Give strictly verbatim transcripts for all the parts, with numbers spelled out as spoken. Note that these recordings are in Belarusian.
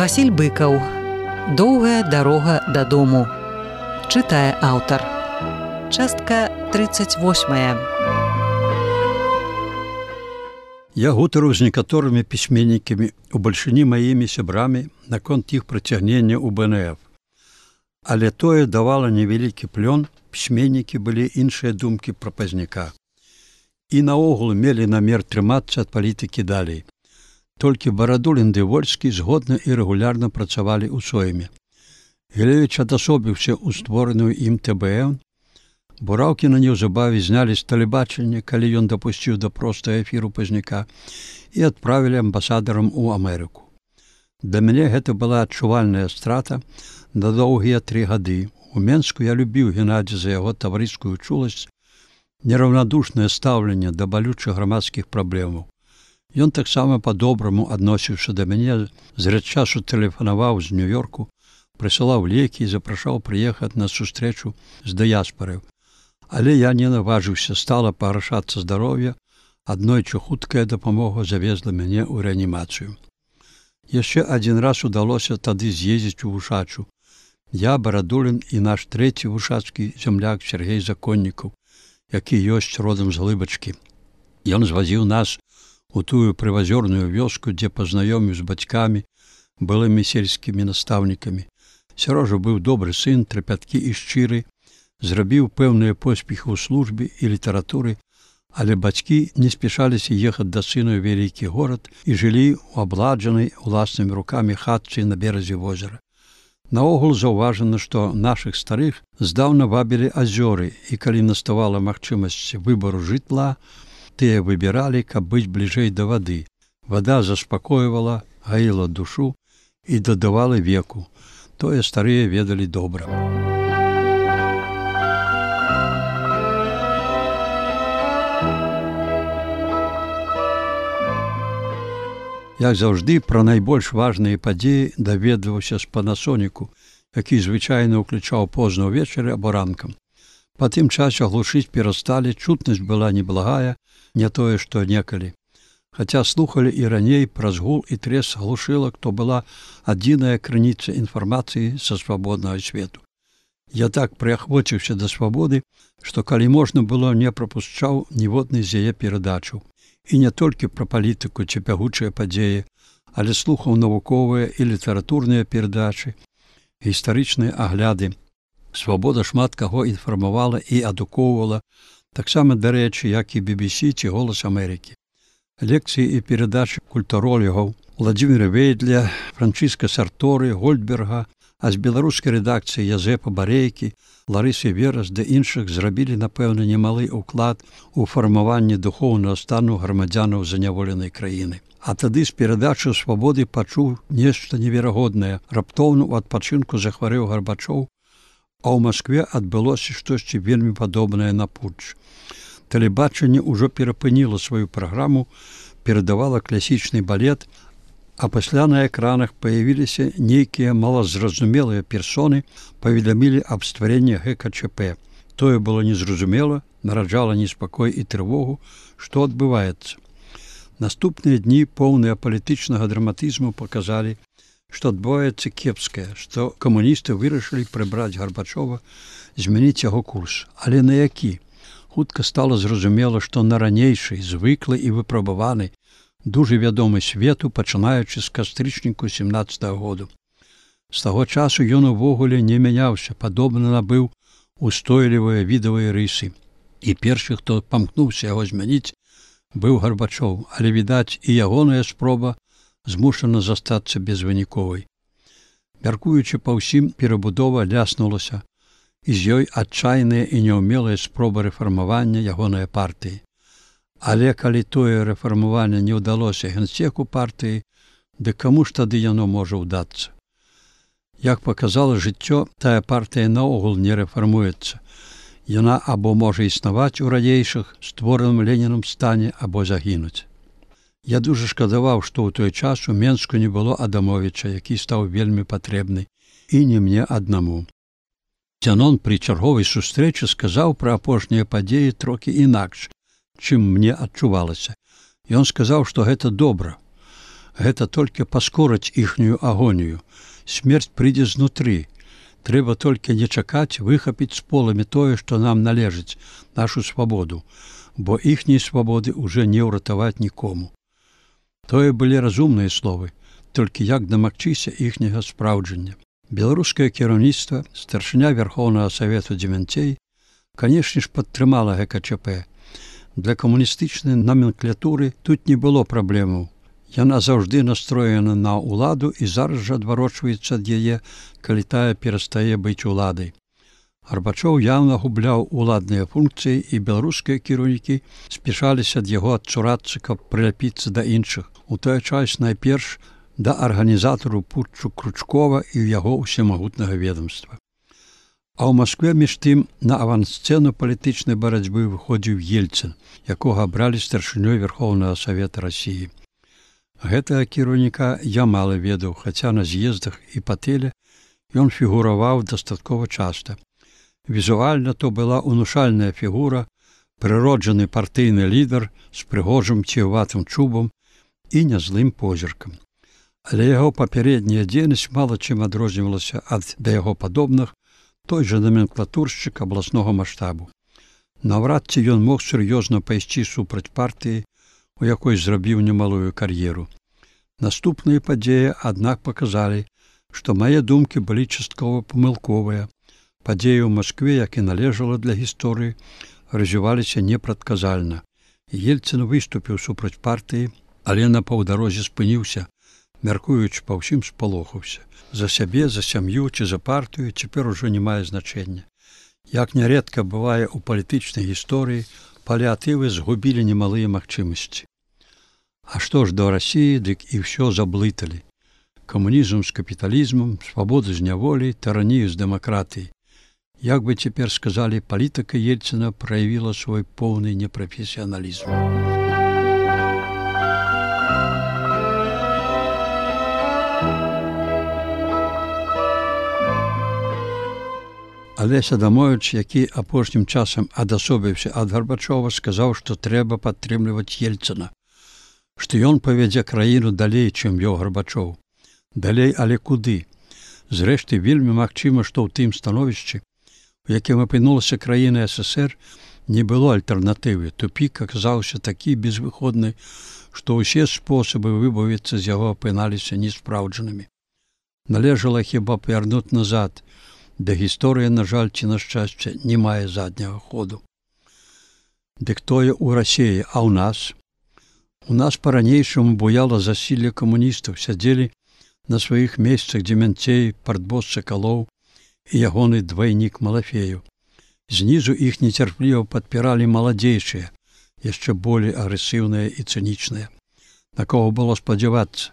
Васіль Быкаў. Доўгая дарога дадому. Чытае аўтар. Частка тридцать восьмая. Я гутарыў з некаторымі пісьменнікамі, у бальшыні маімі сябрамі наконт іх прыцягнення ў бэ эн эф. Але тое давала невялікі плён, пісьменнікі былі іншыя думкі пра Пазняка. І наогул мелі намер трымацца ад палітыкі далей. Толькі Барадулін ды Вольскі згодна і рэгулярна працавалі ў сойме. Гілевіч адасобіўся ў створаную ім тэ бэ эн. Бураўкіна неўзабаве знялі з тэлебачання, калі ён дапусціў да простага эфіру Пазняка, і адправілі амбасадарам у Амерыку. Для мяне гэта была адчувальная страта на доўгія тры гады. У Менску я любіў Геннадзя за яго таварыскую чуласць, нераўнадушнае стаўленне да балючых грамадскіх праблемаў. Ён таксама па-добраму адносіўся да мяне, зрэд часу тэлефанаваў з Нью-Йорку, прысылаў лекі і запрашаў прыехаць на сустрэчу з дыяспарай. Але я не наважыўся, стала пагаршацца здароўе, аднойчы хуткая дапамога завезла мяне ў рэанімацыю. Яшчэ адзін раз удалося тады з'ездзіць у Вушачу. Я, Барадулін і наш трэці вушацкі зямляк Сергей Законнікаў, які ёсць родам з Глыбачкі. Ён звазіў нас у тую прывазёрную вёску, дзе пазнаёміў з бацькамі, былымі сельскімі настаўнікамі. Сярожа быў добры сын, трапяткі і шчыры, зрабіў пэўныя поспехі ў службе і літаратуры, але бацькі не спяшаліся ехаць да сына ў вялікі горад і жылі ў абладжанай уласнымі рукамі хатцы на беразе возера. Наогул заўважана, што нашых старых здаўна вабілі азёры, і калі наставала магчымасць выбару жытла, тыя выбіралі, каб быць бліжэй да вады. Вада заспакойвала, гаіла душу і дадавала веку. Тое старыя ведалі добра. Як заўжды, пра найбольш важныя падзеі даведваўся з Панасоніку, які звычайна ўключаў позна ўвечары або ранкам. Па тым часе глушыць перасталі, чутнасць была неблагая, не тое, што некалі. Хаця слухалі і раней праз гул і трес глушылак, то была адзіная крыніца інфармацыі са свабоднага свету. Я так прыахвоціўся да свабоды, што калі можна было, не прапушчаў ніводнай з яе перадачаў. І не толькі пра палітыку ці бягучыя падзеі, але слухаў навуковыя і літаратурныя перадачы, гістарычныя агляды. Свабода шмат каго інфармавала і адукоўвала, таксама, дарэчы, як і би би сі ці Голас Амерыкі. Лекцыі і перадачы культуролігаў Владзіміра Вейдля, Франчыска Сарторы, Гольдберга, а з беларускай рэдакцыі Язэпа Барейкі, Ларысы Верас ды іншых зрабілі, напэўна, немалы ўклад у фармаванне духоўнага стану грамадзянаў заняволенай краіны. А тады з перадачы свабоды пачуў нешта неверагоднае. Раптоўна ў адпачынку захварэў Гарбачоў, а ў Маскве адбылося штосьці вельмі падобнае на путч. Тэлебачанне ўжо перапыніла сваю праграму, перадавала класічны балет, а пасля на экранах паявіліся нейкія малазразумелыя персоны, паведамілі аб стварэнні гэ ка чэ пэ. Тое было незразумела, нараджала неспакой і трывогу, што адбываецца. Наступныя дні, поўныя палітычнага драматызму, паказалі, што адбываецца кепскае, што камуністы вырашылі прыбраць Гарбачова, змяніць яго курс. Але на які? Хутка стала зразумела, што на ранейшай, звыклы і выпрабаваны, дужа вядомы свету, пачынаючы з кастрычніку семнаццатага году. З таго часу ён увогуле не мяняўся, падобна набыў устойлівыя відавыя рысы. І першы, хто памкнуўся яго змяніць, быў Гарбачоў, але, відаць, і ягоная спроба змушана застацца безвыніковай. Мяркуючы па ўсім, перабудова ляснулася, і з ёй адчайная і няўмелая спроба рэфармавання ягонай партыі. Але калі тое рэфармаванне не ўдалося генсеку партыі, дык каму ж тады яно можа ўдацца? Як паказала жыццё, тая партыя наогул не рэфармуецца. Яна або можа існаваць у ранейшых, створаным Ленінам стане, або загінуць. Я дужа шкадаваў, што ў той час у Менску не было Адамовіча, які стаў вельмі патрэбны, і не мне аднаму. Дзянон пры чарговай сустрэчы сказаў пра апошнія падзеі трохі інакш, чым мне адчувалася. Ён сказаў, што гэта добра. Гэта толькі паскорыць іхнюю агонію. Смерць прыйдзе знутры. Трэба толькі не чакаць выхапіць з поламі тое, што нам належыць, нашу свабоду, бо іхняй свабоды ўжо не ўратаваць нікому. Тое былі разумныя словы, толькі як дамагчыся іхняга спраўджання. Беларускае кіраўніцтва, старшыня Верхоўнага Савету дзевянцей, канешне ж, падтрымала гэ ка чэ пэ. Для камуністычнай номенклатуры тут не было праблемаў. Яна заўжды настроена на ўладу і зараз жа адварочваецца ад яе, калі тая перастае быць уладай. Гарбачоў яўна губляў уладныя функцыі, і беларускія кіраўнікі спяшаліся ад яго адцурацца, каб прыляпіцца да іншых. У той час найперш да арганізатару путчу Кручкова і яго ўсемагутнага ведомства. А ў Маскве між тым на авансцэну палітычнай барацьбы выходзіў Ельцын, якога абралі старшынёй Верхоўнага Савета Расіі. Гэтага кіраўніка я мала ведаў, хаця на з'ездах і па тэле ён фігураваў дастаткова часта. Візуальна то была унушальная фігура, прыроджаны партыйны лідар з прыгожым ціўватым чубам і нязлым позіркам. Але яго папярэдняя дзейнасць мала чым адрознівалася ад да яго падобных, той жа номенклатуршчык абласнога маштабу. Наўрад ці ён мог сур'ёзна пайсці супраць партыі, у якой зрабіў немалую кар'еру. Наступныя падзеі, аднак, паказалі, што мае думкі былі часткова памылковыя. Падзеі ў Маскве, як і належала для гісторыі, развіваліся непрадказальна. Ельцын выступіў супраць партыі, але на паўдарозе спыніўся, мяркуючы па ўсім спалохаўся. За сябе, за сям'ю ці за партыю цяпер ужо не мае значэння. Як нярэдка бывае ў палітычнай гісторыі, паліатывы згубілі немалыя магчымасці. А што ж да Расіі, дык і ўсё заблыталі. Камунізм з капіталізмам, свабода з няволі, таранію з дэмакратыяй. Як бы цяпер сказалі, палітыка Ельцына праявіла свой поўны непрафесіяналізм. Алесь Адамовіч, які апошнім часам адасобіўся ад Гарбачова, сказаў, што трэба падтрымліваць Ельцына, што ён павядзе краіну далей, чым вёў Гарбачоў. Далей, але куды? Зрэшты, вельмі магчыма, што ў тым становішчы, у якім апынулася краіна эс эс ер, не было альтэрнатывы. Тупік аказаўся такі безвыходны, што ўсе спосабы выбавіцца з яго апыналіся неспраўджанымі. Належала хіба павярнуць назад, да гісторыя, на жаль, ці на шчасце, не мае задняга ходу. Дык тое ў Расіі, а ў нас? У нас па-ранейшаму буяла засілле камуністаў, сядзелі на сваіх месцах Дземянцей, партбос Сакалоў і ягоны двайнік Малафею. Знізу іх нецярпліва падпіралі маладзейшыя, яшчэ болей агрэсіўныя і цынічныя. На кого было спадзявацца?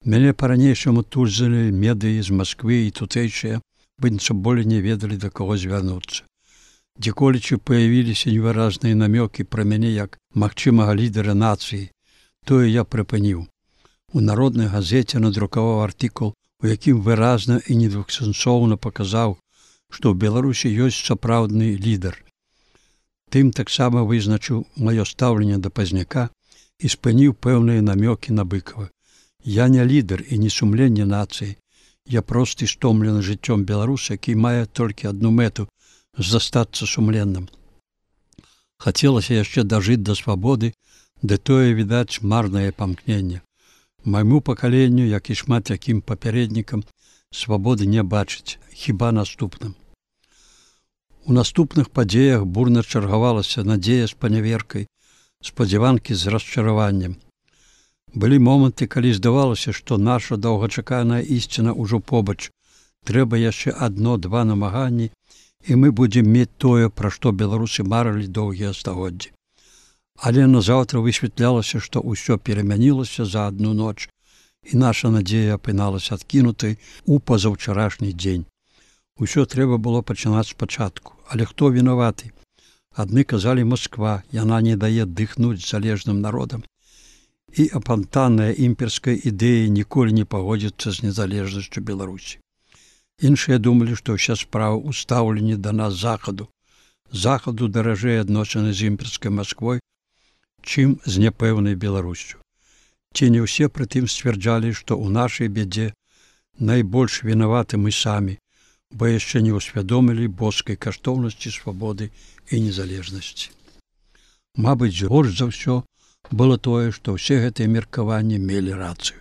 Мяне па-ранейшаму тузалі медыі з Масквы і тутэйшыя, быццам болей не ведалі, да каго звярнуцца. Дзеколечы паявіліся невыразныя намёкі пра мяне як магчымага лідара нацыі. Тое я прыпыніў. У народнай газеце надрукаваў артыкул, у якім выразна і недвухсэнсоўна паказаў, што ў Беларусі ёсць сапраўдны лідар. Тым таксама вызначыў маё стаўленне да Пазняка і спыніў пэўныя намёкі на Быкава. Я не лідар і не сумленне нацыі. Я просты стомлены жыццём беларус, які мае толькі адну мэту – застацца сумленным. Хацелася яшчэ дажыць да свабоды, ды тое, відаць, марнае памкненне. Майму пакаленню, як і шмат якім папярэднікам, свабоды не бачыць, хіба наступным. У наступных падзеях бурна чаргавалася надзея з паняверкай, спадзяванкі з расчараваннем. Былі моманты, калі здавалася, што наша доўгачаканая ісціна ўжо побач. Трэба яшчэ адно-два намаганні, і мы будзем мець тое, пра што беларусы марылі доўгія стагоддзі. Але назаўтра высвятлялася, што ўсё перамянілася за адну ноч, і наша надзея апыналася адкінутай у пазаўчарашні дзень. Усё трэба было пачынаць спачатку. Але хто вінаваты? Адны казалі Масква, яна не дае дыхнуць залежным народам. І апантанная імперская ідэя ніколі не пагодзіцца з незалежнасцю Беларусі. Іншыя думалі, што ўся справа ў стаўленні да нас захаду. Захаду даражэй адносіны з імперскай Масквой, чым з няпэўнай Беларусю. Ці не ўсе прытым сцвярджалі, што ў нашай бядзе найбольш вінаваты мы самі, бо яшчэ не ўсвядомілі боскай каштоўнасці свабоды і незалежнасці. Мабыць, горш за ўсё было тое, што ўсе гэтыя меркаванні мелі рацыю.